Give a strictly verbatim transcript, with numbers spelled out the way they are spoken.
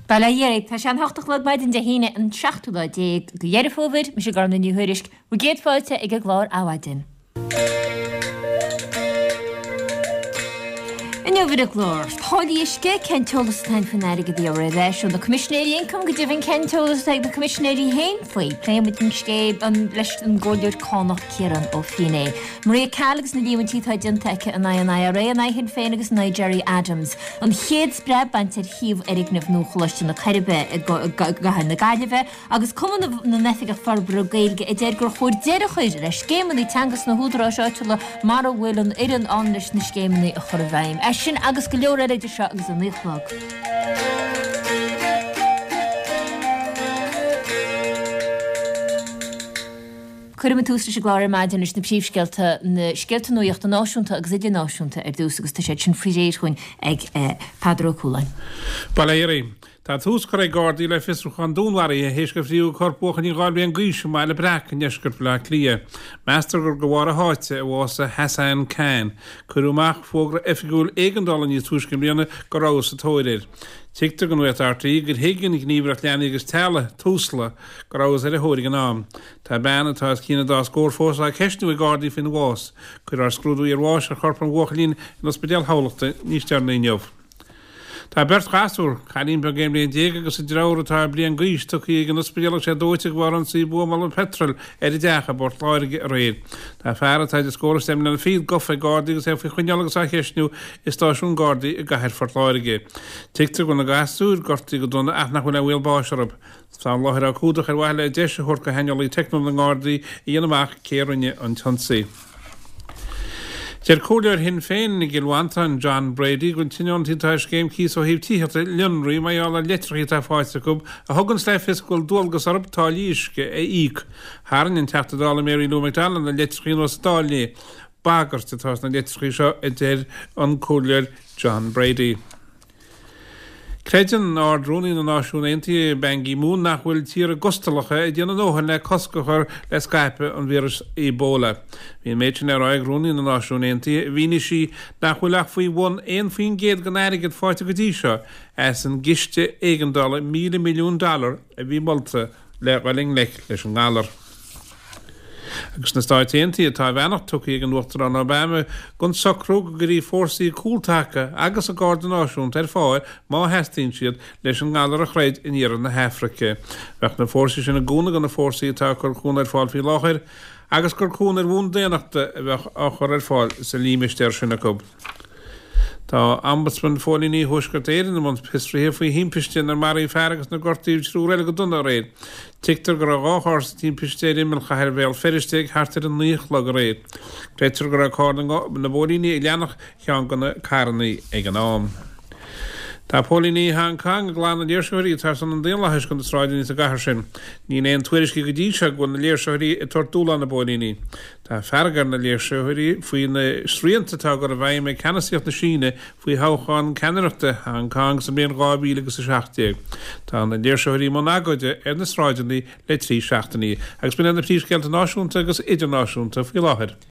Bail ó Dhia oraibh, tá sé an hocht a chlog maidin Dé hAoine an seachtú lá déag de Dheireadh Fómhair, mise Gormfhlaith Ní Thuairisg, bhur gcéad fáilte ag an gclár Adhmhaidin. Inniu ar an gclár, táillí uisce, cén t-eolas atá againn faoin airgead a gheofar ar ais ó na Coimisinéirí Ioncaim, go deimhin cén t-eolas atá ag na Coimisinéirí féin faoi. Pléifidh muid an scéal leis an gComhairleoir Cánach Ciarán Ó Feinneadha. Maria Call agus na líomhaintí atá déanta aici in aghaidh an I R A, in aghaidh Shinn Féin agus in aghaidh Gerry Adams. An chéad spreab bainte ar shuíomh fhoirgneamh nua Choláiste na Coiribe i gcathair na Gaillimhe agus Cumann na nOifigeach Forbartha Gaeilge a deir gur chóir deireadh a chur le scéimeanna teanga sna húdaráis áitiúla mara bhfuil an fhoireann ann leis na scéimeanna a chur i bhfeidhm. É sin agus go leor eile idir seo agus a naoi a chlog. Cuirfidh muid tús leis an gclár ar maidin leis na príomhscéalta, na scéalta nuachta náisiúnta agus idirnáisiúnta ar dtús agus tá siad sin faoi réir chugainn ag Peadar Ó Cualáin. Bail ó Dhia oraibh. Tá tús curtha ag Gardaí le fiosrúchán dúnmharaithe théis gur fríothadh corp buachaillín dhá bhliain d'aois i mBaile Breac i ndeisceart Bhaile Átha Cliath. Meastar gur de bharr a sháite a bhásaigh Hassan Khan. Cuireadh amach fógra oifigiúil éigeandála níos túisce i mbliana go rabhthas sa tóir air. Tuigtear do Nuacht R T É gur thuig an Ghníomhaireacht Leanaí agus Teaghlaigh, Tusla, go rabhthas ar a thóir ag an am. Tá bean atá os cionn an dá scór fós á ceistiú ag Gardaí faoina bhás. Cuirfear scrúdú iarbháis ar chorp an bhuachaillín in Ospidéal Thamhlachta níos deireanaí inniu. Tá beirt ghasúr, cailín beag aon bhliain déag agus a deartháir atá bliain d'aois, tugtha ag an ospidéal agus iad dóite de bharr ionsaí buamála peitril ar a dteach i bPort Láirge aréir. Tá fear atá idir scór is deich mbliana fichead gafa ag Gardaí agus é faoi choinneáil agus á cheistniú i stáisiún Gardaí i gcathair Phort Láirge. Tuigtear go bhfuil na gasúir gortaithe go dona ach nach bhfuil aon bhaol báis orthu. Tá an láthair á cumhdach ar mhaithe le deis a thabhairt do shaineolaí teicniúla na nGardaí a dhéanamh amach cé a rinne an t-ionsaí. Deir Comhairleoir Shinn Féin i gCill Mhantáin, John Brady, go bhfuil tionóntaí atá ar scéim cíosa ó thaobh tithíochta lionraithe mar gheall ar leitreacha atá faighte acu a thuganns le fios go bhfuil dualgas orthu táillí uisce a íoc. Tharraing an Teachta Dála Mary Lou McDonald na leitreacha anuas sa Dáil inné. Bagairt atá sna leitreacha seo, a deir an Comhairleoir John Brady. Creideann Ard-Rúnaí na Náisiún Aontaithe, Ban Ki-moon, nach bhfuil tíortha gustalacha ag déanamh a ndóthain le cosc a chur le scaipeadh an víris Ebola. Bhí an méid sin le rá ag Rúnaí na Náisiún Aontaithe. Mhínigh sí nach bhfuil ach faoi bhun aon faoin gcéad den airgead faighte go dtí seo as an gciste éigeandála míle milliún dollar a bhí molta le dhul i ngleic leis an ngalar. Agus sna Stáit Aontaithe, tá a bheannacht tugtha ag an Uachtarán Obama don socrú go gcuirfí fórsaí cúltaca agus an Garda Náisiúnta ar fáil má theastaíonn siad leis an ngalar a throid in iarthar na hAfraice. Bheadh na fórsaí sin i gcúnamh do na fórsaí atá ag cur cúnamh ar fáil faoi láthair agus gur cúnamh ar bhonn daonnachta a bheadh á chur ar fáil sa límistéar sin acu. Tá Ombudsman Phóilíní Thuaisceart Éireann i mbun fiosraithe faoi thimpiste inar maraíodh fear agus inar gortaíodh triúr eile go dona aréir. Tuigtear go raibh dhá charr sa timpiste ar imeall chathair Bhéal Feirste ag thart ar a naoi a chlog aréir. Creidtear go raibh carr na bpóilíní ag leanacht cheann de na carranna ag an am. Tá póilíní Hong Kong ag glanadh léirsitheoirí atá ar son an daonlathais de na sráideanna sa gcathair sin. Níl aon tuairiscí go dtí seo go bhfuil na léirsitheoirí ag tabhairt dúshlán na bpóilíní. Tá fearg ar na léirsitheoirí faoi na srianta atá á gcur i bhfeidhm ag ceannasaíocht na Síne faoi thoghchán ceannaireachta Hong Kong sa mbliain dhá mhíle agus a seacht déag. Tá na léirsitheoirí i mbun agóide ar na sráideanna le trí seachtainí agus b'in iad na príomhscéalta náisiúnta agus idirnáisiúnta faoi láthair.